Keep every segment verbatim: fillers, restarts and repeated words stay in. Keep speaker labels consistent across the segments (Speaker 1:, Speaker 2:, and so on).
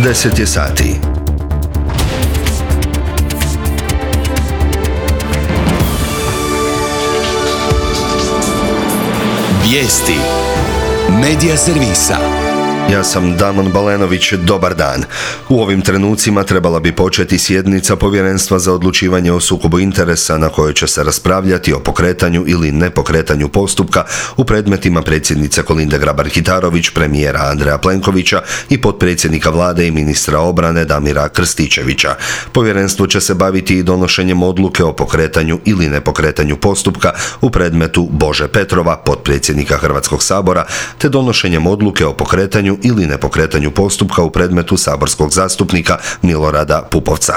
Speaker 1: deset je sati.
Speaker 2: Vijesti Medija servisa.
Speaker 1: Ja sam Damon Balenović, dobar dan. U ovim trenucima trebala bi početi sjednica Povjerenstva za odlučivanje o sukobu interesa na kojoj će se raspravljati o pokretanju ili nepokretanju postupka u predmetima predsjednice Kolinde Grabar-Kitarović, premijera Andreja Plenkovića i potpredsjednika vlade i ministra obrane Damira Krstičevića. Povjerenstvo će se baviti i donošenjem odluke o pokretanju ili nepokretanju postupka u predmetu Bože Petrova, potpredsjednika Hrvatskog sabora, te donošenjem odluke o pokretanju ili nepokretanju postupka u predmetu saborskog zastupnika Milorada Pupovca.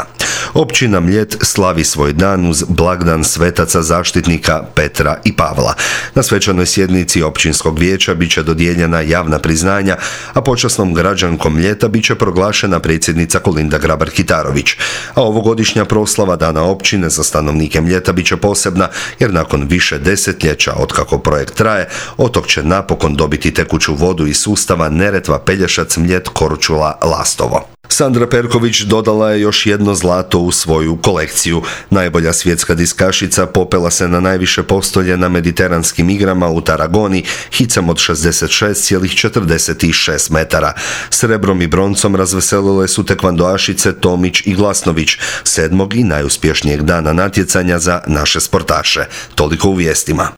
Speaker 1: Općina Mljet slavi svoj dan uz blagdan svetaca zaštitnika Petra i Pavla. Na svečanoj sjednici općinskog vijeća bit će dodijeljena javna priznanja, a počasnom građankom Mljeta bit će proglašena predsjednica Kolinda Grabar-Kitarović. A ovogodišnja proslava dana općine za stanovnike Mljeta bit će posebna, jer nakon više desetljeća otkako projekt traje, otok će napokon dobiti tekuću vodu iz sustava Neretva, Pelješac, Mljet, Korčula, Lastovo. Sandra Perković dodala je još jedno zlato u svoju kolekciju. Najbolja svjetska diskašica popela se na najviše postolje na mediteranskim igrama u Tarragoni hicem od šezdeset šest zarez četrdeset šest metara. Srebrom i broncom razveselile su tekvandoašice Tomić i Glasnović, sedmog i najuspješnijeg dana natjecanja za naše sportaše. Toliko u vijestima.